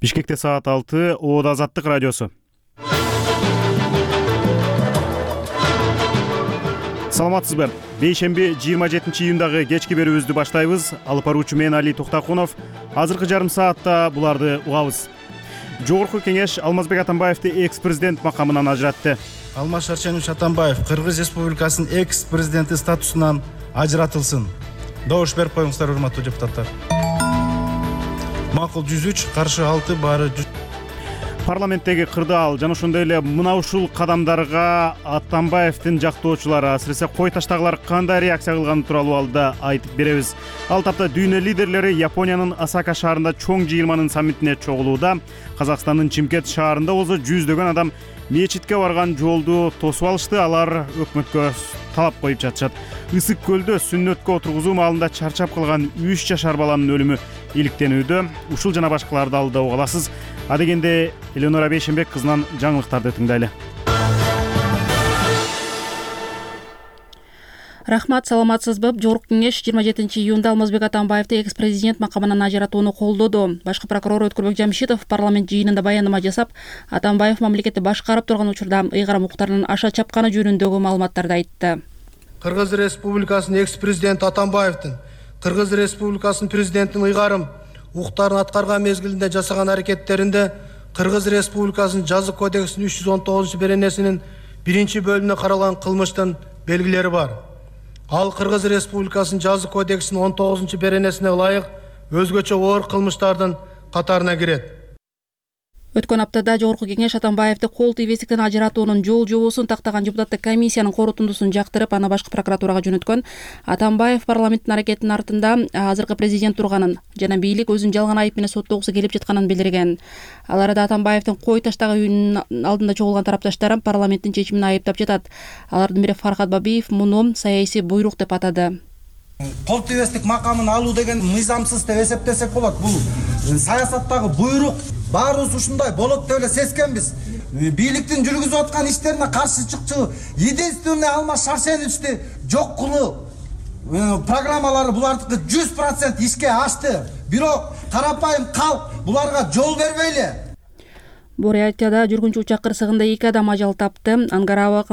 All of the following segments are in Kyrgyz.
Бишкекте саат 6, Оода Азаттык радиосу. Саламатсызбы? Бейшемби 27 июндагы кечки берүүбүздү баштайбыз. Алып баруучу мен Али Токтакунов. Азыркы жарым саатта буларды угабыз. Жогорку кеңеш Алмазбек Атамбаевди экс-президент макамынан ажыратты. Алмаз Шарченович Атамбаев Кыргыз Республикасынын экс-президенти статусунан ажыратылсын. Добуш берип коюңуздар, урматтуу депутаттар. Макул 103, каршы 6, баары 100. Парламенттеги кырдаал жана ошондой эле мына ушул кадамдарга Атамбаевдин жактоочулары, асыресе кой таштагылар кандай реакция кылганы тууралуу алда айтып беребиз. Ал тапта дүйнө лидерлери Япониянын Осака шаарында чоң жыйырманын саммитине чогулууда. Казакстандын Чимкент шаарында болсо жүздөгөн адам мечитке барган жолду тосуп алышты. Алар өкмөткө талап коюп жатышат. Ысык көлдө сүннөткө отургузуу маалында чарчап калган 3 жашар баланын өлүмү иликтенүүдө. Ушул жана башкаларды алда угаласыз. Адегенде Элеонора Бейшембек кызынан жаңылыктарды тыңдайлы. Рахмат, саламатсызбы? Жогорку кеңеш 27 июнда Алмазбек Атамбаевди экс-президент макамынан ажыратууну колдоду. Башкы прокурор Өткүрбек Жамшитов парламент жыйынында баяндама жасап, Атамбаев мамлекетти башкарып турган учурда ыйгарым укуктарынын аша чапканы жөнүндөгү маалыматтарды айтты. Кыргыз Республикасынын экс-президенти Атамбаевдин Кыргыз Республикасынын президентинин ыйгарым укуктарын аткарган мезгилинде жасаган аракеттеринде Кыргыз Республикасынын Жаза кодексинин 319-беренесинин 1-бөлүмүнө каралган кылмыштын белгилери бар. Ал Кыргыз Республикасынын Жаза кодексинин 19-беренесине ылайык өзгөчө оор кылмыштардын катарына кирет. Өткөн аптада Жогорку кеңеш Атамбаевди кол тийбестиктен ажыратуунун жол жобосун тактаган депутаттык комиссиянын корутундусун жактырып, аны башкы прокуратурага жөнөткөн. Атамбаев парламенттин аракетинин артында азыркы президент турганын жана бийлик өзүн жалган айып менен соттогусу келип жатканын билдирген. Ал арада Атамбаевдин кой таштагы үйүнүн алдында чогулган тарапташтары парламенттин чечимин айыптап жатат. Алардын бири Фархат Бабиев муну саясий буйрук деп атады. Кол тийбестик макамын алуу деген мыйзамсыз деп эсептесек болот. Бул саясаттагы буйрук. Баарыбыз ушундай болот деп эле сезгенбиз. Бийликтин жүргүзүп аткан иштерине каршы чыкчу единственный Алмаз Шарченовичти жок кылуу программалары булардыкы 100% ишке ашты. Бирок карапайым калк буларга жол бербейли. Бурятияда жүргүнчү учак кырсыгында 2 адам ажал тапты. Ангарава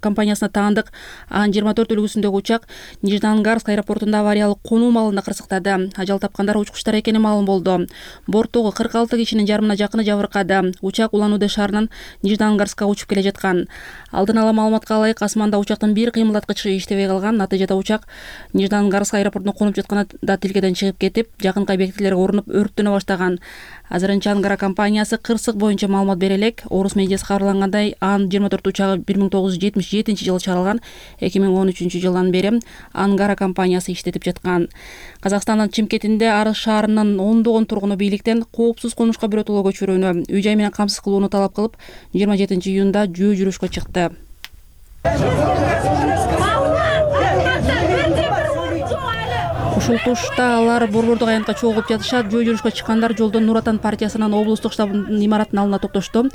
компаниясына таандык Ан 24 үлгүсүндөгү учак Нижнеангарск аэропортунда авариялык конуу маалында кырсыктады. Ажал тапкандар учкучтар экени маалым болду. Борттогу 46 кишинин жарымына жакыны жабыркады. Учак Улан-Удэ шаарынан Нижнеангарскка учуп келе жаткан. Алдын ала маалыматка ылайык, асманда учактын бир кыймылдаткычы иштебей калган. Натыйжада учак Нижнеангарск аэропортуна конуп жатканда тилкеден чыгып кетип, жакынкы объектилерге урунуп өрттөнө баштаган. Азырынча Ангара компаниясы кырсык боюнча маалымат бере элек. Орус медиасы кабарлангандай, Ан 24 учагы 1977 жылы чыгарылган. 2013 жылдан бери Ангара компаниясы иштетип жаткан. Казакстандын Чимкентинде Арыс шаарынын ондогон тургуну бийликтен коопсуз конушка биротоло көчүрүүнү, үй-жай менен камсыз кылууну талап кылып, 27 июнда жөө жүрүшкө чыкты. Ушул тушта алар борбордук аянтка чогулуп жатышат. Жөө жүрүшкө чыккандар жолдон Нур Отан партиясынын облустук штабынын имаратынын алдына токтошту.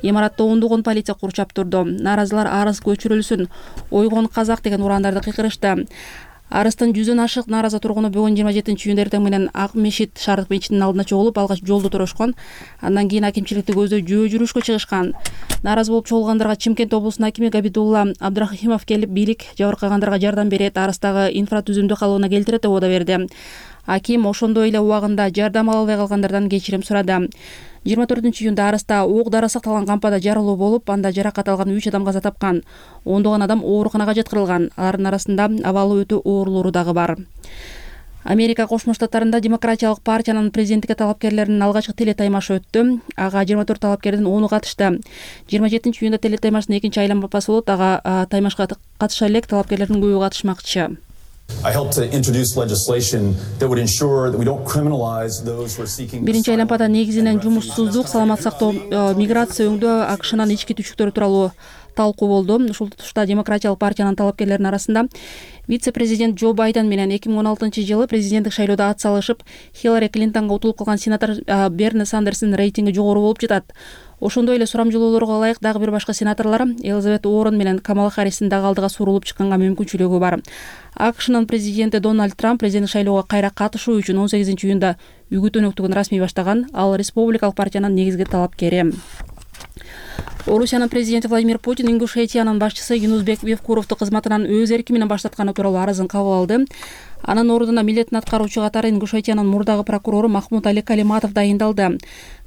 Имаратта ондогон полиция курчап турду. Нааразылар Арыс көчүрүлсүн, ойгон казак деген урандарды кыйкырышты. Арыстын 100дөн ашык наараза тургуну бүгүн 27 июнда эртең менен Ак Мешит шаардык мечитинин алдына чогулуп, алгач жолду торошкон. Андан кийин акимчиликти көздөй жөө жүрүшкө чыгышкан. Нааразы болуп чогулгандарга Чимкент облусунун акими Габидулла Абдрахимов келип, бийлик жабыркагандарга жардам берет, Арыстагы инфратүзүмдү калыбына келтирет деп убада берди. Аким ошондой эле убагында жардам ала албай калгандардан кечирим сурады. 24 июнда Арыста ок-дары сакталган кампада жарылуу болуп, анда жаракат алган 3 адам каза тапкан. Ондогон адам ооруканага жеткирилган. Алардын арасында абалы өтө оорлору дагы бар. Америка Кошмо Штаттарында Демократиялык партиянын президенттикке талапкерлеринин алгачкы телетаймашы өттү. Ага 24 талапкердин 10-у катышты. 27 июнда телетаймаштын экинчи айланмасы болот. Ага таймашка катыша элек талапкерлердин көбү катышмакчы. Биринчи айланмада негизинен жумушсуздук, саламат сактоо, миграция, өңдөө, АКШнын ички түшүктөрү тууралуу талкуу болду. Ушул тушта Демократиялык партиянын талапкерлеринин арасында вице-президент Джо Байден менен 2016 жылы президенттик шайлоодо ат салышып, Хиллари Клинтонго утулуп калган сенатор Берни Сандерстин рейтинги жогору болуп жатат. Ошондой эле сурамжылоолорго ылайык дагы бир башка сенаторлор Элизабет Уоррен менен Камала Харристин дагы алдыга сурулуп чыкканга мүмкүнчүлүгү бар. АКШнын президенти Дональд Трамп президенттик шайлоого кайра катышуу үчүн 18 июнда үгүт өнөктүгүн расмий баштаган. Ал республикалык партиянын негизги талапкери. Орусиянын президенти Владимир Путин Ингушетиянын башчысы Юнузбек Евкуровду кызматынан өз эрки менен баштатканы тууралуу арызын кабыл алды. Анын ордуна милдетин аткаруучу катары Ингушетиянын мурдагы прокурору Махмуд Али Калиматов дайындалды.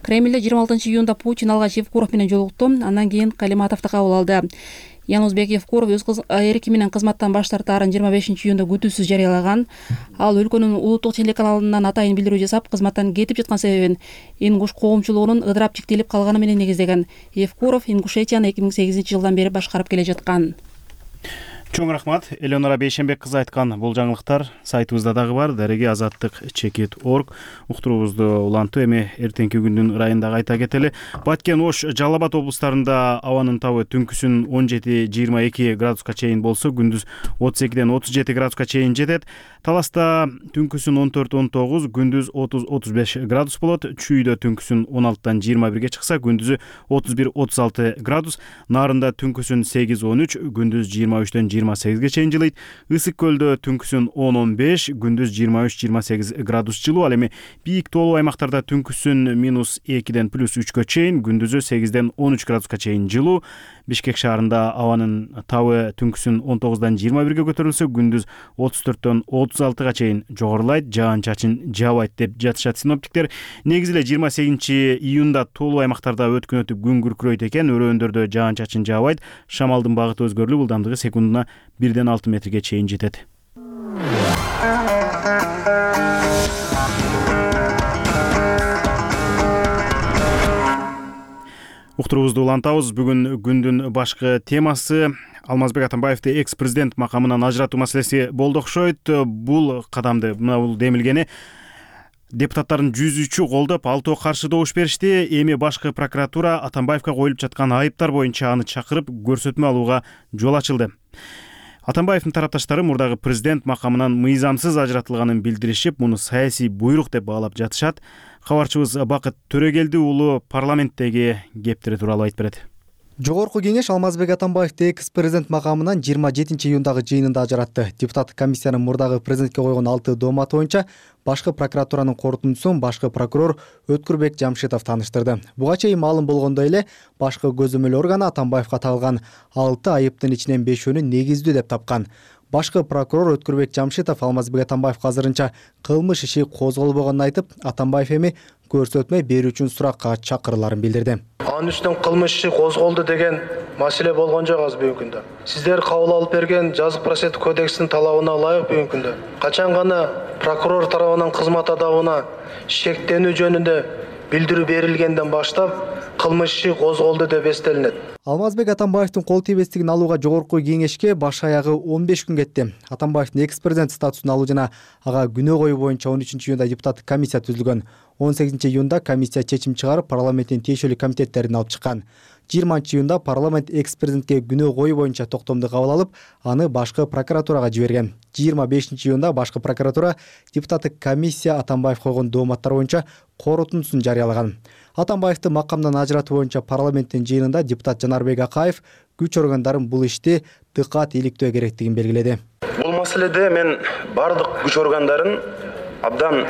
Кремлде 26 июнда Путин алгач Евкуров менен жолукту, андан кийин Калиматовду кабыл алды. Янузбек Евкуров өз эрки менен кызматтан баш тартаарын 25 июнда күтүүсүз жарыялаган. Ал өлкөнүн улуттук телеканалынан атайын билдирүү жасап, кызматтан кетип жаткан себебин ингуш коомчулугунун ыдырап чектелип калганы менен негиздеген. Евкуров Ингушетияны 2008 жылдан бери башкарып келе жаткан. Чоң рахмат. Элеонора Бейшенбек кызы айткан бул жаңылыктар сайтыбызда дагы бар. Дареги-азаттык.org. Уктуруубузду улантуу. Эми эртеңки күндүн ырайында кайта кетели. Баткен, Ош, Жалал Абад облустарында абанын табы түнкүсүн 17-22 градуска чейин болсо, күндүз 32-ден 37 градуска чейин жетет. Таласта түнкүсүн 14-19, күндүз 30-35 градус болот. Чүйдө түнкүсүн 16-дан 21-ге чыкса, күндүзү 31-36 градус. Нарында түнкүсүн 8-13, күндүз 23-ден 28-ге чейин жылыйт. Ысык көлдө түнкүсүн 10-15, күндүз 23-28 градус жылуу. Ал эми бийик тоолуу аймактарда түнкүсүн -2-ден +3-кө чейин, күндүзү 8-ден 13 градуска чейин жылуу. Бишкек шаарында абанын табы түнкүсүн 19-дан 21-ге көтөрүлсө, күндүз 34-төн 36-га чейин жогорулайт. Жаан-чачын жаабайт деп жатышат синоптиктер. Негизи эле 28-июнда тоолуу аймактарда өткөн өтүп күн күркүрөйт экен. Өрөөндөрдө жаан-чачын жаабайт. Шамалдын багыты өзгөрүлүп, ылдамдыгы секундуна 1-ден 6 метрге чейин жетет. Уктуруубузду улантабыз. Бүгүн күндүн башкы темасы Алмазбек Атамбаевди экс-президент макамынан ажыратуу маселеси болду окшойт. Бул кадамды, бул демилгени депутаттардын 103-ü колдоп, 6 каршы добуш беришти. Эми башкы прокуратура Атамбаевга коюлуп жаткан айыптар боюнча аны чакырып көрсөтмө алууга жол ачылды. Атамбаевдин тарапташтары мурдагы президент макамынан мыйзамсыз ажыратылганын билдиришип, муну саясий буйрук деп баалап жатышат. Кабарчыбыз Бакыт Төрөгелди уулу парламенттеги кептери тууралуу айтып берет. Жогорку кеңеш Алмазбек Атамбаевди экс-президент макамынан 27 июндагы жыйынында ажыратты. Депутаттык комиссиянын мурдагы президентке койгон 6 дооматы боюнча башкы прокуратуранын корутундусун башкы прокурор Өткүрбек Жамшитов тааныштырды. Буга чейин маалым болгондой эле башкы көзөмөл органы Атамбаевга тагылган 6 айыптын ичинен 5-өөнү негиздүү деп тапкан. Башкы прокурор Өткүрбек Жамшитов Алмазбек Атамбаевга азырынча кылмыш иши козголбогонун айтып, Атамбаев эми көрсөтмө берүү үчүн суракка чакырыларын билдирди. Анын үстүнөн кылмыш иши козголду деген маселе болгон жок аз бүгүнкү күндө. Сиздер кабыл алып берген жазык процесстик кодекстин талабына ылайык бүгүнкү күндө качан гана прокурор тарабынан кызмат адабына шектенүү жөнүндө билдирүү берилгенден баштап кылмыш иши козголду деп эстелинет. Алмазбек Атамбаевдин кол тийбестигин алууга жогорку кеңешке баш аягы 15 күн кетти. Атамбаевдин экс-президент статусун алуу жана ага күнөө коюу боюнча 13-июнда депутаттык комиссия түзүлгөн. 18-июнда комиссия чечим чыгарып, парламенттин тиешелүү комитеттерин алып чыккан. 20-июнда парламент экс-президентке күнөө коюу боюнча токтомду кабыл алып, аны башкы прокуратурага жиберген. 25-июнда башкы прокуратура депутаттык комиссия Атамбаев койгон дооматтар боюнча корутундусун жарыялаган. Атамбаевди макамдан ажыратуу боюнча парламенттин жыйынында депутат Жанарбек Акаев күч органдарын бул ишти дыкат иликтөө керектигин белгиледи. Бул маселеде мен бардык күч органдарын абдан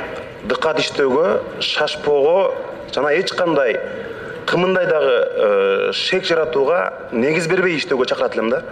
дыкат иштөөгө, шашпоого жана эч кандай кымындай дагы шек жаратууга негиз бербей иштөөгө чакырат элем да.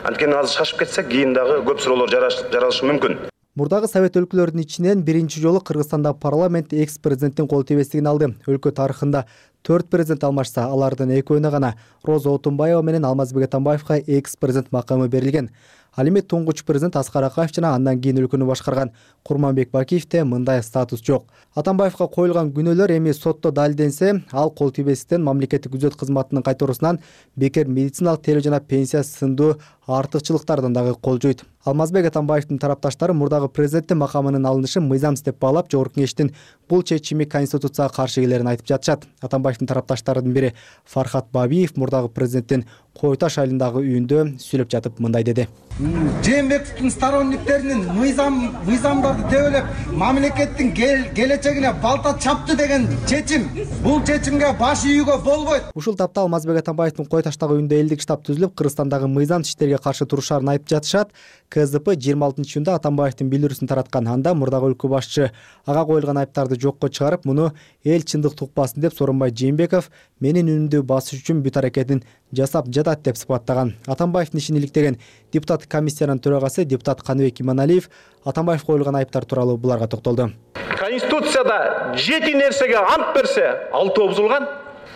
Анткени азыр шашып кетсек, кийин дагы көп суроолор жаралышы мүмкүн. Мурдагы совет өлкөлөрүнүн ичинен биринчи жолу Кыргызстанда парламент экс-президенттин кол тийбестигин алды. Өлкө тарыхында 4 президент алмашса, алардын экөөнө гана Роза Отунбаева менен Алмазбек Атамбаевга экс-президент макамы берилген. Ал эми туңгуч президент Аскар Акаев жана андан кийин өлкөнү башкарган Курманбек Бакиевде мындай статус жок. Атамбаевга коюлган күнөөлөр эми сотто далилденсе, ал кол тийбестиктен мамлекеттик күзөт кызматынын кайторусунан бекер медициналык тейлөө жана пенсия сындуу артыкчылыктардан дагы кол жойт. Алмазбек Атамбаевдин тарапташтары мурдагы президенттин макамынын алынышын мыйзамсыз деп баалап, жогорку кеңештин бул чечими конституцияга каршы келерин айтып жатышат. Атамбаевдин тарапташтарынын бири Фархат Бабиев мурдагы президенттин Кой Таш айылындагы үйүндө сүйлөп жатып мындай деди. Жээнбековдун сторонниктеринин мыйзамдарды тебелеп, мамлекеттин келечегине балта чапты деген чечим, бул чечимге баш ийүүгө болбойт. Ушул тапта Алмазбек Атамбаевдин Кой Таштагы үйүндө элдик штаб түзүлүп, Кыргызстандагы мыйзамсыз иштерге каршы турушарын айтып жатышат. КСДП 26-июнда Атамбаевдин билдирүүсүн тараткан. Анда мурдагы өлкө башчы ага коюлган айыптарды жокко чыгарып, муну эл чындыкты укпасын деп Сооронбай Жээнбеков менин үнүмдү басыш үчүн бүт аракетин жасап жатат деп сыпаттаган. Атамбаевдин ишин иликтеген депутат комиссиянын төрагасы депутат Каныбек Иманалиев Атамбаев коюлган айыптар тууралуу буларга токтолду. Конституцияда 7 нерсеге ант берсе, 6 бузулган.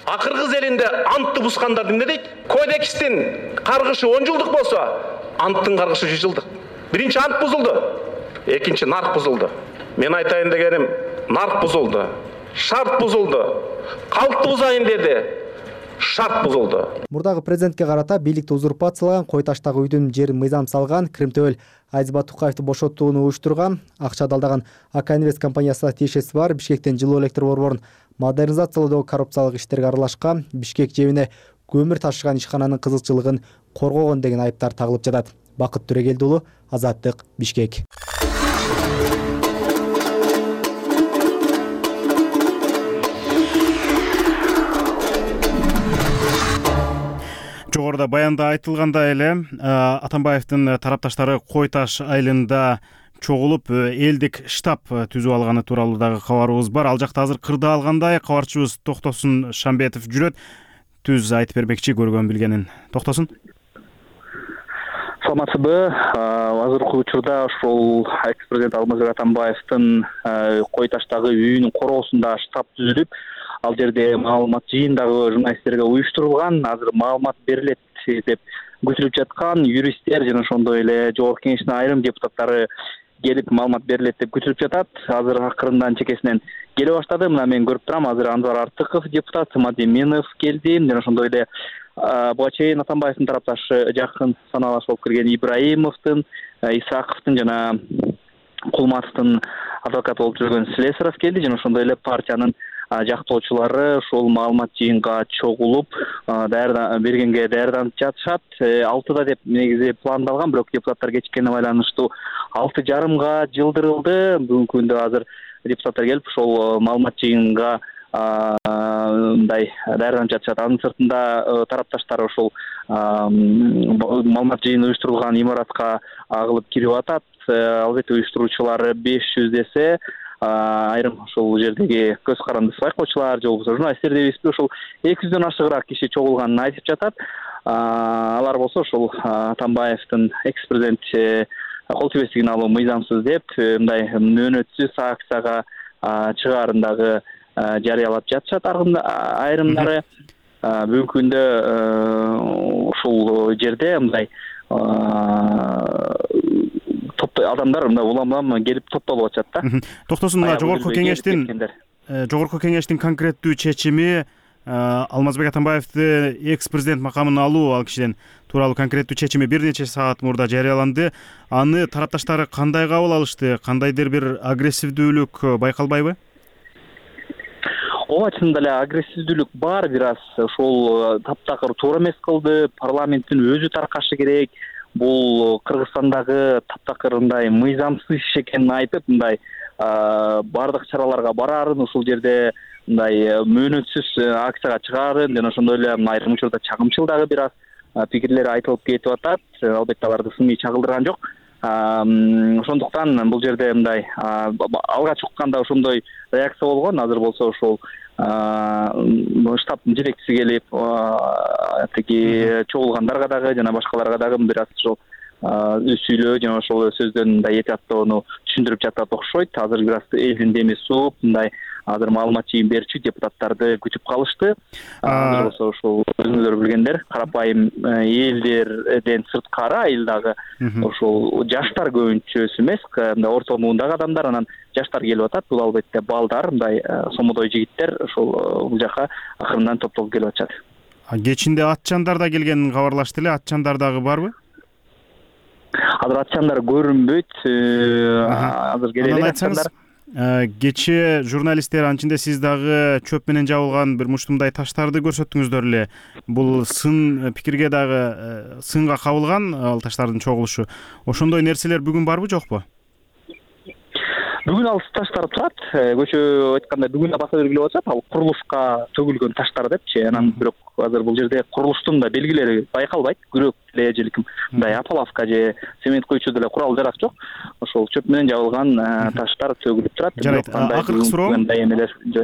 А кыргыз элинде антты бузгандар эмне дейт? Кодекстин каргышы 10 жылдык болсо, анттын каргышы 100 жылдык. Биринчи ант бузулду, экинчи нарк бузулду. Мен айтайын дегеним, нарк бузулду, шарт бузулду, калкты бузайын деди, шарт бузулду. Мурдагы президентке карата бийликти узурпациялаган, Кой таштагы үйдүн жерин мыйзам салган, Кримтөбөл Айзбат Тукаевди бошотууну уюштурган, акча далдаган АК Инвест компаниясына тиешеси бар Бишкектен жылуу электр борборун модернизациялоодогу коррупциялык иштерге аралашкан, Бишкек жебине көмүр ташыган ишкананын кызыкчылыгын коргогон деген айыптар тагылып жатат. Бакыт Түрегелди уулу, Азаттык, Бишкек. Жогоруда баянда айтылгандай эле Атамбаевдин тарапташтары Кой таш айылында чогулуп элдик штаб түзүп алганы тууралуу дагы кабарыбыз бар. Ал жакта азыр кырда алгандай кабарчыбыз Токтосун Шамбетов жүрөт. Түз айтып бермекчи көргөн билгенин. Токтосун. Саламатсызбы? Азыркы учурда ошол экс-президент Алмазбек Атамбаевдин Кой таштагы үйүнүн короосунда штаб түзүлүп, ал жерде маалымат жыйындагы журналисттерге уюштурулган. Азыр маалымат берилет деп күтүлүп жаткан юристтер жана ошондой эле жогорку кеңештин айрым депутаттары келип маалымат берилет деп күтүлүп жатат. Азыр акырындан чекесинен келе баштады. Мына мен көрүп турам, азыр Анвар Артыков депутат, Мадеминов келди, жана ошондой эле буга чейин Атамбаевдин тарапташы жакын саналаш болуп келген Ибраимовдун, Исаковдун жана Кулматовдун адвокаты болуп жүргөн Слесаров келди, жана ошондой эле партиянын жактоочулары ошол маалымат жыйынга чогулуп бергенге даярданып жатышат. 6-да деп негизи пландалган, бирок депутаттар кечиккенине байланыштуу 6:30га жылдырылды. Бүгүнкү күндө азыр депутаттар келип ошол маалымат жыйынга мындай даярданып жатышат. Анын сыртында тарапташтар ошол маалымат жыйыны уюштурулган имаратка агылып кирип атат. Албетте уюштуруучулары 500 десе, айрым ошол жердеги көз карандысы байкоочулар же болбосо журналисттер дебейсизби, ошол 200дөн ашыгыраак киши чогулганын айтып жатат. Алар болсо ошол Атамбаевдин экс-президент кол тийбестигин алуу мыйзамсыз деп мындай мөөнөтсүз акцияга чыгаарын дагы жарыялап жатышат айрымдары. Бүгүнкү күндө ушул жерде мындай адамдар мына улам келип топтолуп атышат да. Токтосун, жогорку кеңештин конкреттүү чечими Алмазбек Атамбаевди экс-президент макамын алуу, ал кишиден тууралуу конкреттүү чечими бир нече саат мурда жарыяланды. Аны тарапташтары кандай кабыл алышты? Кандайдыр бир агрессивдүүлүк байкалбайбы? Ооба, чынында эле агрессивдүүлүк бар, бир аз ошол таптакыр туура эмес кылды. Парламенттин өзү таркашы керек. Бул Кыргызстандагы таптакырындай мыйзамсыз иш экенин айтып, мындай бардык чараларга барарын, ушул жерде мындай мөөнөтсүз акцияга чыгаарын, жана ошондой эле айрым учурда чагымчыл дагы бир аз пикирлер айтылып кетип атат. Албетте аларды сыний чагылдырган жок. Ошондуктан бул жерде мындай алгач укканда ошондой реакция болгон. Азыр болсо ошол штабтын жетекчиси келип тиги чогулгандарга дагы жана башкаларга дагы бир аз ошол сүйлөө жана ошол сөздөн мындай этияттоону түшүндүрүп жатат окшойт. Азыр бир аз элдин деми сууп, мындай азыр маалымат жыйын берчү депутаттарды күтүп калышты. Азыр болсо ошол өзүңүздөр билгендер, карапайым элдерден сырткары айылдагы ошол жаштар көбүнчөсү эмес, мындай орто муундагы адамдар, анан жаштар келип атат. Бул албетте балдар, мындай сомодой жигиттер ошол бул жака акырындан топтолуп келип атышат. Кечинде атчандар да келгенин кабарлашты эле. Атчандар дагы барбы? Азыр атчандар көрүнбөйт. Азыр келе элек атчандар. Кечээ журналисттер, анчында сиз дагы чөп менен жабылган бир муштумдай таштарды көрсөттүңүздөр эле. Бул сын пикирге дагы сынга кабылган ал таштардын чогулушу. Ошондой нерселер бүгүн барбы, жокпу? Бүгүн ал таштар турат. Көчө айтканда бүгүн баса белгилеп атышат. Ал курулушка төгүлгөн таштар депчи. Анан бирок азыр бул жерде курулуштун да белгилери байкалбайт. Күрөк эле же мындай ополовка же цемент куючу деле курал жарак жок. Ошол чөп менен жабылган таштар төгүлүп турат. Жарайт.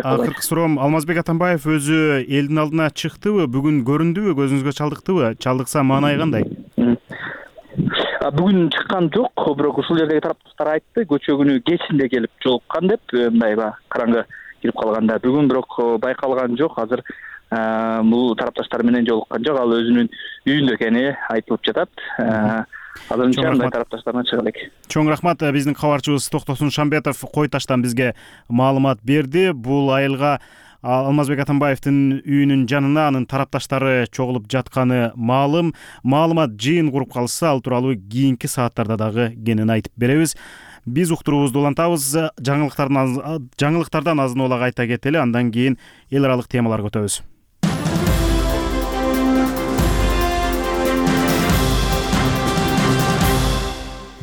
Акыркы суроом, Алмазбек Атамбаев өзү элдин алдына чыктыбы, бүгүн көрүндүбү, көзүңүзгө чалдыктыбы? Чалдыкса маанай кандай? Бүгүн чыккан жок, бирок ушул жердеги тарапташтар айтты, көчө күнү кечинде келип жолуккан деп, мындай караңгы кирип калганда. Бүгүн бирок байкалган жок. Азыр бул тарапташтар менен жолуккан жок. Ал өзүнүн үйүндө экени айтылып жатат. Азырынча мындай тарапташтарына чыга элек. Чоң рахмат. Биздин кабарчыбыз Токтосун Шамбетов Кой таштан бизге маалымат берди. Бул айылга Алмазбек Атамбаевдин үйүнүн жанына анын тарапташтары чогулуп жатканы маалым. Маалымат жыйын куруп калса, ал тууралуу кийинки сааттарда дагы кенен айтып беребиз. Биз уктуруубузду улантабыз. Жаңылыктардан азын улак айта кетели, андан кийин эл аралык темаларга өтөбүз.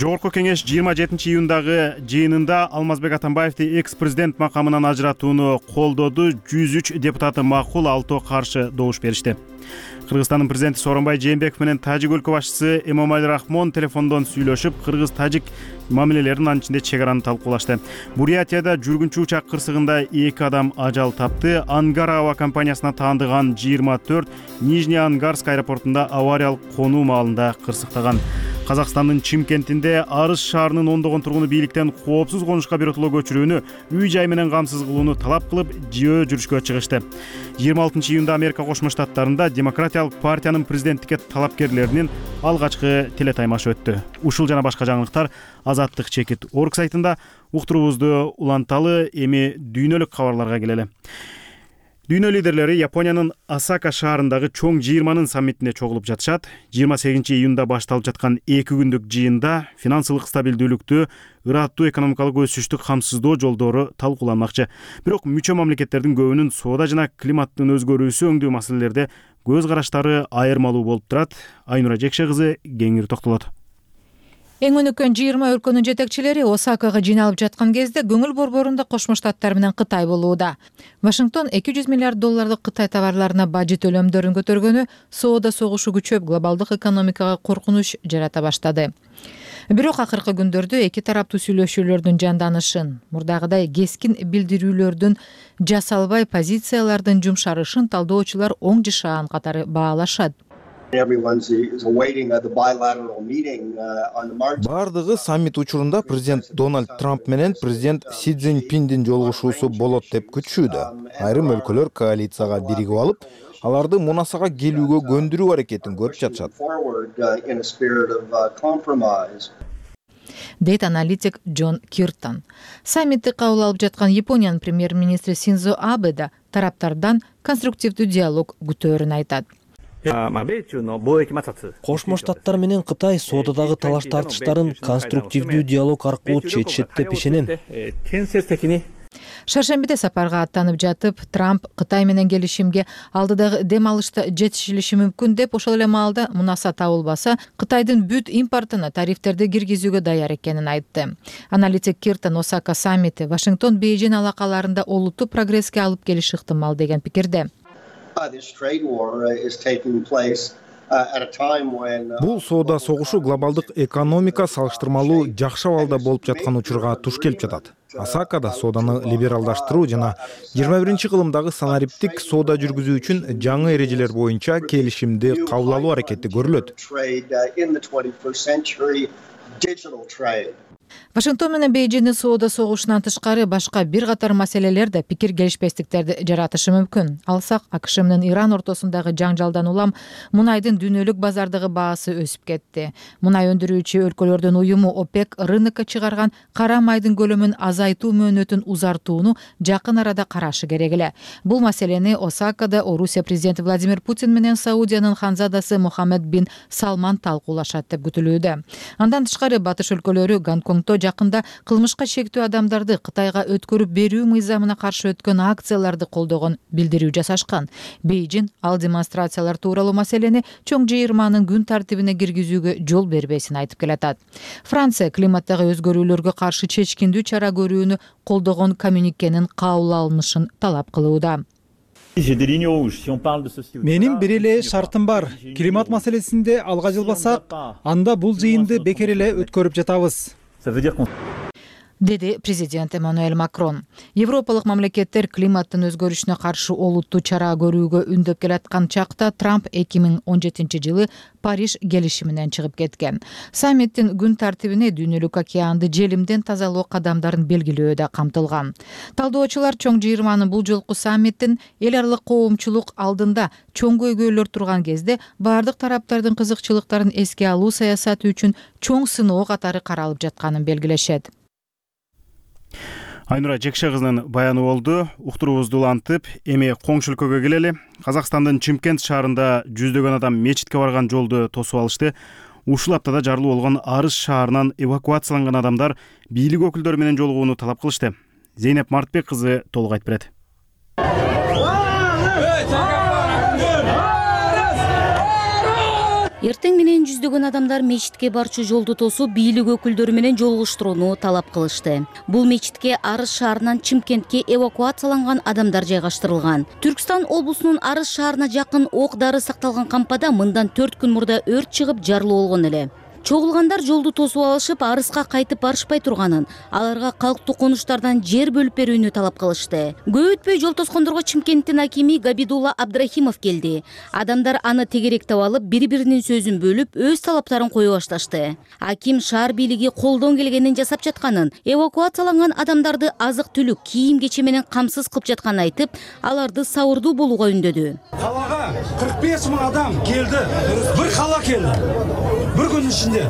Жогорку кеңеш 27-июндагы жыйынында Алмазбек Атамбаевди экс-президент макамынан ажыратууну колдоду. 103 депутаты макул, 6 каршы добуш беришти. Кыргызстандын президенти Сооронбай Жээнбеков менен Тажик өлкө башчысы Эмомали Рахмон телефондон сүйлөшүп, кыргыз-тажик мамилелерин, анын ичинде чек араны талкуулашты. Бурятияда жүргүнчү учак кырсыгында 2 адам ажал тапты. Ангар аба компаниясына таандыган 24 Нижний Ангарск аэропортунда авариялык конуу маалында кырсыктаган. Казакстандын Чимкентинде Арыс шаарынын ондогон тургуну бийликтен коопсуз конушка биротоло көчүрүүнү, үй-жай менен камсыз кылууну талап кылып, жөө жүрүшкө чыгышты. 26-июнда Америка Кошмо Штаттарында Демократиялык партиянын президенттикке талапкерлеринин алгачкы телетаймашы өттү. Ушул жана башка жаңылыктар Азаттык чекит орг сайтында. Уктуруубузду уланталы, эми дүйнөлүк кабарларга келели. Дүйнө лидерлери Япониянын Осака шаарындагы чоң 20-нын саммитине чогулуп жатышат. 28-июнда башталып жаткан 2 күндүк жыйында финансылык стабилдүүлүктү, ыраттуу экономикалык өсүштү камсыздоо жолдору талкууланмакчы. Бирок мүчө мамлекеттердин көбүнүн соода жана климаттын өзгөрүүсү өңдүү маселелерде көз караштары айырмалуу болуп турат. Айнура Жекше кызы кеңири токтолот. Эң өнүккөн 20 өлкөнүн жетекчилери Осакага жыйналып жаткан кезде көңүл борборунда Кошмо Штаттар менен Кытай болууда. Вашингтон $200 миллиард Кытай товарларына бажы төлөмдөрүн көтөргөнү соода согушу күчөп, глобалдык экономикага коркунуч жарата баштады. Бирок акыркы күндөрдө эки тараптуу сүйлөшүүлөрдүн жанданышын, мурдагыдай кескин билдирүүлөрдүн жасалбай позициялардын жумшарышын талдоочулар оң жашаан катары баалашат. Бардыгы саммит учурунда президент Дональд Трамп менен президент Си Цзиньпиндин жолугушуусу болот деп күтүшүүдө. Айрым өлкөлөр коалицияга биригип алып, аларды мунасага келүүгө көндүрүү аракетин көрүп жатышат. Дейт аналитик Джон Киртон. Саммитти кабыл алып жаткан Япониянын премьер-министри Синдзо Абе да тараптардан конструктивдүү диалог күтөөрүн айтат. Кошмо Штаттар менен Кытай соодадагы талаш тартыштарын конструктивдүү диалог аркылуу чечишет деп ишенем. Шаршембиде сапарга аттанып жатып, Трамп Кытай менен келишимге алдыдагы дем алышта жетишилиши мүмкүн деп, ошол эле маалда мунаса табылбаса, Кытайдын бүт импортуна тарифтерди киргизүүгө даяр экенин айтты. Аналитик Киртон Осака саммити Вашингтон-Бейжин алакаларында олуттуу прогресске алып келиши ыктымал деген пикирде. Бул соода согушу глобалдык экономика салыштырмалуу жакшы абалда болуп жаткан учурга туш келип жатат. Осакада сооданы либералдаштыруу жана 21-кылымдагы санариптик соода жүргүзүү үчүн жаңы эрежелер боюнча келишимди кабыл алуу аракети көрүлөт. Вашингтон менен Бейжиндин соода согушунан тышкары башка бир катар маселелерде пикир келишпестиктерди жаратышы мүмкүн. Алсак, АКШ менен Иран ортосундагы жаңжалдан улам мунайдын дүйнөлүк базардагы баасы өсүп кетти. Мунай өндүрүүчү өлкөлөрдүн уюму ОПЕК рынокко чыгарган кара майдын көлөмүн азайтуу мөөнөтүн узартууну жакын арада карашы керек эле. Бул маселени Осакада Орусия президенти Владимир Путин менен Саудиянын ханзадасы Мухаммед бин Салман талкуулашат деп күтүлүүдө. Андан тышкары батыш өлкөлөрү Гонконгдо жакында кылмышка шектүү адамдарды Кытайга өткөрүп берүү мыйзамына каршы өткөн акцияларды колдогон билдирүү жасашкан. Бейжин ал демонстрациялар тууралуу маселени чоң 20-нын күн тартибине киргизүүгө жол бербесин айтып келатат. Франция климаттагы өзгөрүүлөргө каршы чечкиндүү чара көрүүнү колдогон коммюникенин кабыл алынышын талап кылууда. Менин бир эле шартым бар. Климат маселесинде алга жылбасак, анда бул жыйынды бекер эле өткөрүп жатабыз, деди президент Эммануэль Макрон. Европалык мамлекеттер климаттын өзгөрүшүнө каршы олуттуу чара көрүүгө үндөп келаткан чакта Трамп 2017-жылы Париж келишиминен чыгып кеткен. Саммиттин күн тартибине дүйнөлүк океанды желимден тазалоо кадамдарын белгилөө да камтылган. Талдоочулар чоң жыйырманын бул жолку саммиттин эл аралык коомчулук алдында чоң көйгөйлөр турган кезде бардык тараптардын кызыкчылыктарын эске алуу саясаты үчүн чоң сыноо катары каралып жатканын белгилешет. Айнура Жекше кызынын баяны болду. Уктуруубузду улантып, эми коңшу өлкөгө келели. Казакстандын Чымкент шаарында жүздөгөн адам мечитке барган жолду тосуп алышты. Ушул аптада жарылуу болгон Арыс шаарынан эвакуацияланган адамдар бийлик өкүлдөрү менен жолугууну талап кылышты. Зейнеп Мартбек кызы толук айтып берет. Эртең менен жүздөгөн адамдар мечитке барчу жолду тосуп, бийлик өкүлдөрү менен жолугуштурууну талап кылышты. Бул мечитке Арыс шаарынан Чымкентке эвакуацияланган адамдар жайгаштырылган. Түркстан облусунун Арыс шаарына жакын ок дары сакталган кампада мындан 4 күн мурда өрт чыгып жарылуу болгон эле. Чогулгандар жолду тосуп алышып, Арыска кайтып барышпай турганын, аларга калктуу конуштардан жер бөлүп берүүнү талап кылышты. Көп өтпөй жол тоскондорго Чымкенттин акими Габидулла Абдрахимов келди. Адамдар аны тегеректеп алып, бири-биринин сөзүн бөлүп, өз талаптарын кое башташты. Аким шаар бийлиги колдон келгенин жасап жатканын, эвакуацияланган адамдарды азык-түлүк, кийим-кече менен камсыз кылып жатканын айтып, аларды сабырдуу болууга үндөдү. Калага 45 000 адам келди. Бир кала келди. Бир күн ичинде.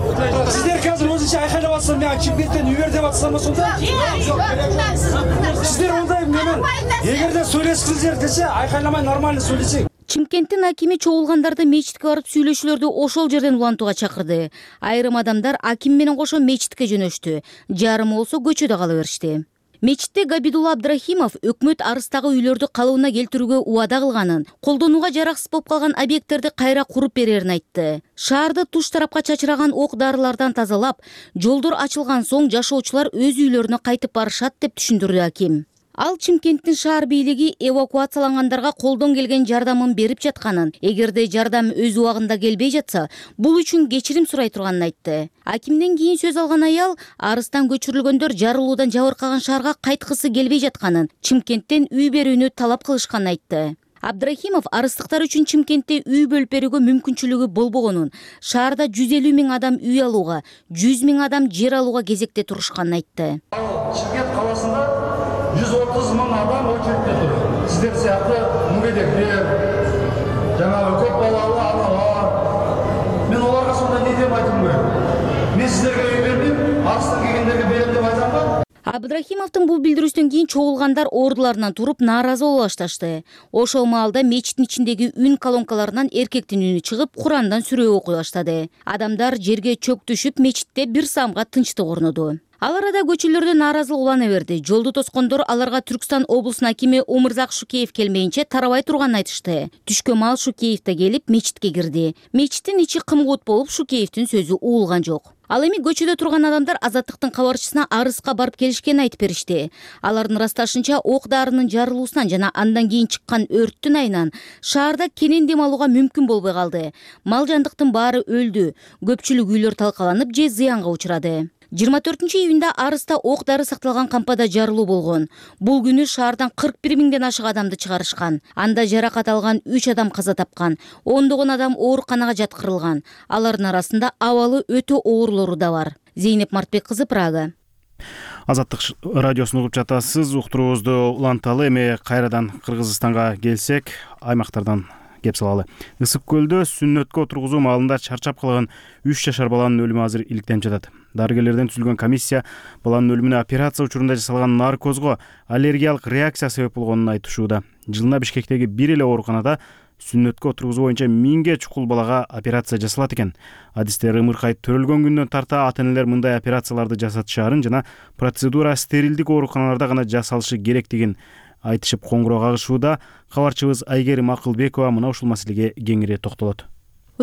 Сиздер қазір өзінше айқайлап атсыздар, мен Чымкенттен үйер деп атсыздар ма сонда? Сиздер ондай менен эгерде сөйлескіңіздер десе, айқайламай нормально сөйлесең. Чымкенттин акими чогулгандарды мечитке барып сүйлөшүүлөрдү ошол жерден улантууга чакырды. Айрым адамдар аким менен кошо мечитке жөнөштү. Жарымы болсо көчөдө кала беришти. Мечитте Габидулла Абдрахимов өкмөт Арыстагы үйлөрдү калыбына келтирүүгө убада кылганын, колдонууга жараксыз болуп калган объекттерди кайра куруп берерин айтты. Шаарды туш тарапка чачыраган ок дарылардан тазалап, жолдор ачылган соң жашоочулар өз үйлөрүнө кайтып барышат деп түшүндүрдү аким. Ал Чымкенттин шаар бийлиги эвакуациялангандарга колдон келген жардамын берип жатканын, эгерде жардам өз убагында келбей жатса, бул үчүн кечирим сурай турганын айтты. Акимден кийин сөз алган аял Арыстан көчүрүлгөндөр жарылуудан жабыркаган шаарга кайткысы келбей жатканын, Чымкенттен үй берүүнү талап кылышканын айтты. Абдрахимов арыстыктар үчүн Чымкентте үй бөлүп берүүгө мүмкүнчүлүгү болбогонун, шаарда 150 000 адам үй алууга, 100 000 адам жер алууга кезекте турушканын айтты. Чымкент каласында 130 000 адам очередте тур. Сиздер сыяктуу мүгедектер, жанагы көп балалуу аналар. Мен оларга сонда не деп айтым керек? Мен сиздерге үй бербейм, Арыстан келгендерге берем деп айтам ба? Абдрахимовдун бул билдирүүсүнөн кийин чогулгандар ордуларынан туруп нааразы боло башташты. Ошол маалда мечиттин ичиндеги үн колонкаларынан эркектин үнү чыгып, Курандан сүрө окуй баштады. Адамдар жерге чөк түшүп, мечитте бир самга тынчтык орноду. Ал арада көчөлөрдө нааразылык улана берди. Жолду тоскондор аларга Түркстан облусунун акими Омурзак Шукеев келмейинче тарабай турганын айтышты. Түшкө маал Шукеев да келип мечитке кирди. Мечиттин ичи кымгут болуп, Шукеевдин сөзү угулган жок. Ал эми көчөдө турган адамдар Азаттыктын кабарчысына Арыска барып келишкенин айтып беришти. Алардын ырасташынча ок дарынын жарылуусунан жана андан кийин чыккан өрттүн айынан шаарда кенен дем алууга мүмкүн болбой калды. Мал жандыктын баары өлдү. Көпчүлүк үйлөр талкаланып же зыянга учурады. 24-июнда Арыста ок дары сакталган кампада жарылуу болгон. Бул күнү шаардан 41 000ден ашык адамды чыгарышкан. Анда жаракат алган 3 адам каза тапкан. Ондогон адам ооруканага жаткырылган. Алардын арасында абалы өтө оорлору да бар. Зейнеп Мартбек кызы, Прага. Азаттык радиосун угуп жатасыз. Уктуруубузду уланталы. Эми кайрадан Кыргызстанга келсек, аймактардан кеп салалы. Ысык көлдө сүннөткө отургузуу маалында чарчап калган 3 жашар баланын өлүмү азыр иликтенип жатат. Дарыгерлерден түзүлгөн комиссия баланын өлүмүнө операция учурунда жасалган наркозго аллергиялык реакция себеп болгонун айтышууда. Жылына Бишкектеги бир эле ооруканада сүннөткө отургузуу боюнча 1000ге чукул балага операция жасалат экен. Адистер ымыркай төрөлгөн күндөн тарта ата-энелер мындай операцияларды жасатышаарын жана процедура стерилдик ооруканаларда гана жасалышы керектигин айтышып коңгуроо кагышууда. Кабарчыбыз Айгерим Акылбекова мына ушул маселеге кеңири токтолот.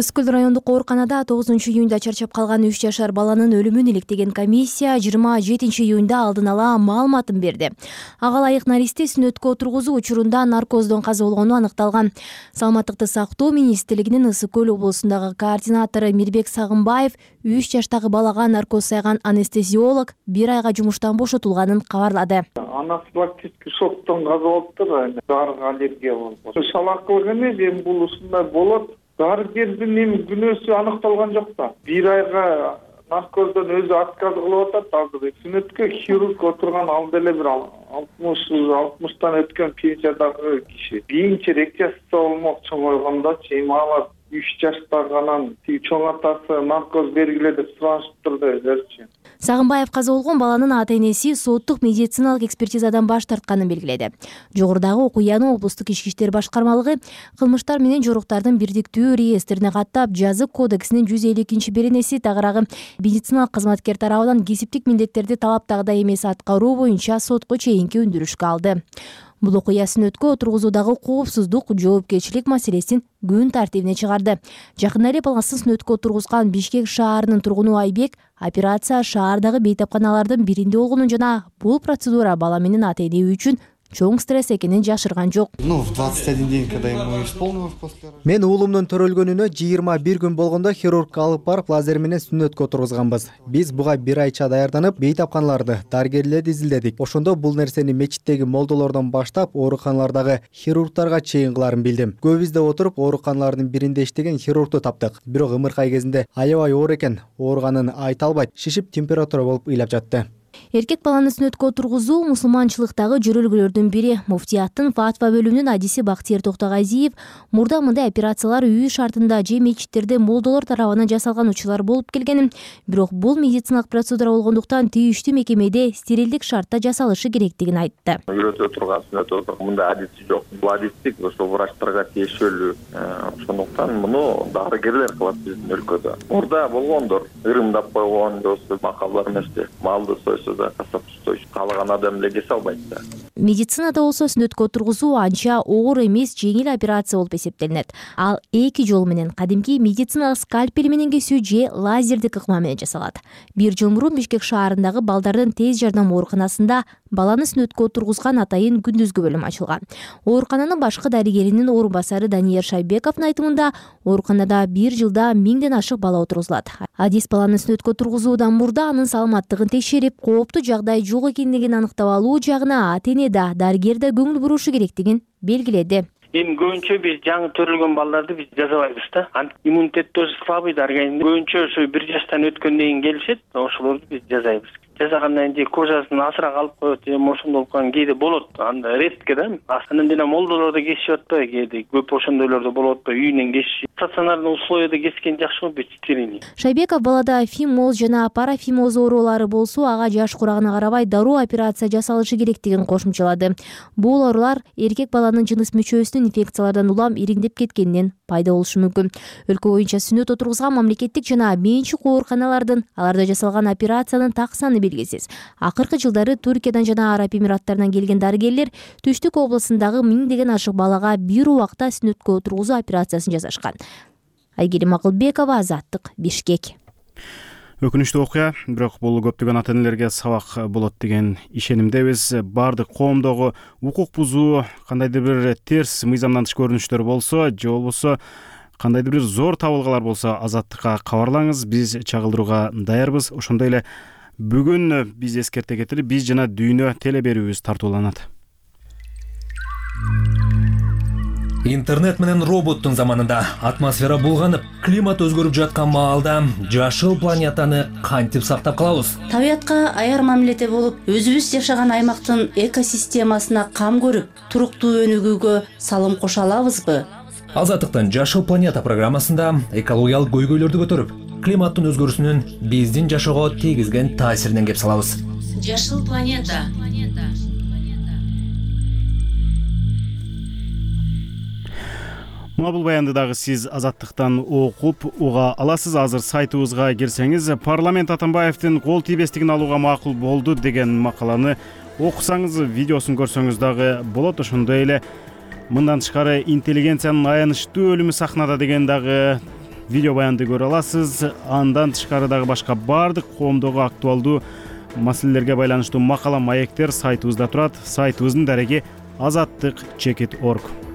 Ысык Көл райондук ооруканада 9-июнда чарчап калган 3 жашар баланын өлүмүн иликтеген комиссия 27-июнда алдын ала маалыматын берди. Ага ылайык наристи сүнөткө отургузуу учурунда наркоздон каза болгону аныкталган. Саламаттыкты сактоо министрлигинин Ысык Көл облусундагы координатору Мирбек Сагынбаев 3 жаштагы балага наркоз сайган анестезиолог 1 айга жумуштан бошотулганын кабарлады. Анафилактический шоктон каза болуптур, дарыга аллергия болуп. Шалакылык эмес, эми бул ушундай болот. Дарыгердин эми күнөөсү аныкталган жок да. 1 айга наркоздон өзү отказ кылып атат азыр. Сүнөткө хирург отурган ал деле бир 60-тан өткөн пенсиядагы киши. Кийинче рекция болмокчу койгондо эми алар 3 жаштагынан чоң атасы наркоз бергиле деп сурашыптыр да өзүчү. Сагынбаев каза болгон баланын ата-энеси соттук медициналык экспертизадан баш тартканын белгиледи. Жогорудагы окуяны облустук ички иштер башкармалыгы кылмыштар менен жоруктардын бирдиктүү реестрине каттап, жазык кодексинин 152-беренеси тагыраагы медициналык кызматкер тарабынан кесиптик милдеттерди талаптагыдай эмес аткаруу боюнча сотко чейинки өндүрүшкө алды. Бул окуя сүнөткө отургузуудагы коопсуздук, жоопкерчилик маселесин күн тартибине чыгарды. Жакында эле баласын сүнөткө отургузган Бишкек шаарынын тургуну Айбек операция шаардагы бейтапканалардын биринде болгонун жана бул процедура бала менен ата-эне үчүн чоң стресс экенин жашырган жок. В 21 день, когда ему исполнилось после... Мен уулумдун төрөлгөнүнө 21 күн болгондо хирургка алып барып лазер менен сүнөткө отургузганбыз. Биз буга 1 айча даярданып, бейтапканаларды, дарыгерлерди изилдедик. Ошондо бул нерсени мечиттеги молдолордон баштап, ооруканалардагы хирургтарга чейин кыларын билдим. Көбүбүздө отуруп, ооруканалардын биринде иштеген хирургду таптык. Бирок ымыркай кезинде аябай оор экен, ооруганын айта албайт, шишип температура болуп ыйлап жатты. Эркек баланы сүнөткө отургузуу мусулманчылыктагы жөрөлгөлөрдүн бири. Муфтияттын фатва бөлүмүнүн адиси Бактиер Токтогазиев мурда мындай операциялар үй шартында же мечиттерде молдолор тарабынан жасалган учурлар болуп келгенин, бирок бул медициналык процедура болгондуктан тийиштүү мекемеде стерилдик шартта жасалышы керектигин айтты. Үйрөтө турган сүнөт мындай адиси жок. Бул адистик ошо врачтарга тиешелүү. Ошондуктан муну дарыгерлер кылат биздин өлкөдө. Мурда болгондор, ырымдап койгон досу макалдар эмести. Малды каалаган адам эле кесе албайт да. Медицинада болсо сүнөткө отургузуу анча оор эмес, жеңил операция болуп эсептелинет. Ал 2 жол менен кадимки медициналык скальпель менен кесүү же лазердик ыкма менен жасалат. 1 жыл мурун Бишкек шаарындагы балдардын тез жардам ооруканасында баланы сүнөткө отургузган атайын күндүзгү бөлүм ачылган. Оорукананын башкы дарыгеринин орун басары Даниер Шайбековдун айтымында, ооруканада 1 жылда 1000ден ашык бала отургузулат. Адис баланы сүнөткө отургузуудан мурда анын саламаттыгын текшерип, кооптуу жагдай жок экендигин аныктап алуу жагына ата-эне да, дарыгер да көңүл бурушу керектигин белгиледи. Эми көбүнчө биз жаңы төрөлгөн балдарды биз жазабайбыз да. Иммунитет тоже слабый да организм. Көбүнчө ошо 1 жаштан өткөндөн кийин келишет, ошолорду биз жазайбыз. Жасагандан кийин кожасын асыра калып коет, ошондой болгон кээде болот. Анда редко да. Анан деле молдолорду кесип атпайбы, кээде көп ошондойлордо болуп атпайбы, үйүнөн кесип. Стационардын условияда кескен жакшы го, стерильный. Шайбеков балада фимоз жана парафимоз оорулары болсо, ага жаш курагына карабай дароо операция жасалышы керектигин кошумчалады. Бул оорулар эркек баланын жыныс мүчөсүнүн инфекциялардан улам ириңдеп кеткенинен пайда болушу мүмкүн. Өлкө боюнча сүнөт отургузган мамлекеттик жана менчик ооруканалардын аларда жасалган операциянын так саны белгисиз. Акыркы жылдары Туркиядан жана Араб Эмираттарынан келген дарыгерлер Түштүк облусундагы 1000ден ашык балага бир убакта сүнөткө отургузуу операциясын жасашкан. Айгерим Акылбекова, Азаттык, Бишкек. Өкүнүчтүү окуя, бирок бул көптөгөн ата-энелерге сабак болот деген ишенимдебиз. Бардык коомдогу укук бузуу, кандайдыр бир терс мыйзамдан тыш көрүнүштөр болсо, же болбосо кандайдыр бир зор табылгалар болсо, Азаттыкка кабарлаңыз, биз чагылдырууга даярбыз. Ошондой эле бүгүн биз эскерте кетели, биз жана дүйнө теле берүүбүз тартууланат. Интернет менен роботтун заманында атмосфера булганып, климат өзгөрүп жаткан маалда жашыл планетаны кантип сактап калабыз? Табиятка аяр мамиледе болуп, өзүбүз жашаган аймактын экосистемасына кам көрүп, туруктуу өнүгүүгө салым кошо алабызбы? Азаттыктын Жашыл планета программасында экологиялык көйгөйлөрдү көтөрүп, климаттын өзгөрүүсүнүн биздин жашоого тийгизген таасиринен кеп салабыз. Жашыл планета. Мына бул баянды дагы сиз Азаттыктан окуп уга аласыз. Азыр сайтыбызга кирсеңиз, парламент Атамбаевдин кол тийбестигин алууга макул болду деген макаланы окусаңыз, видеосун көрсөңүз дагы болот. Ошондой эле мындан тышкары интеллигенциянын аянычтуу өлүмү сахнада деген дагы видео баянды көрө аласыз. Андан тышкары дагы башка баардык коомдогу актуалдуу маселелерге байланыштуу макала маектер сайтыбызда турат. Сайтыбыздын дареги azattik.org.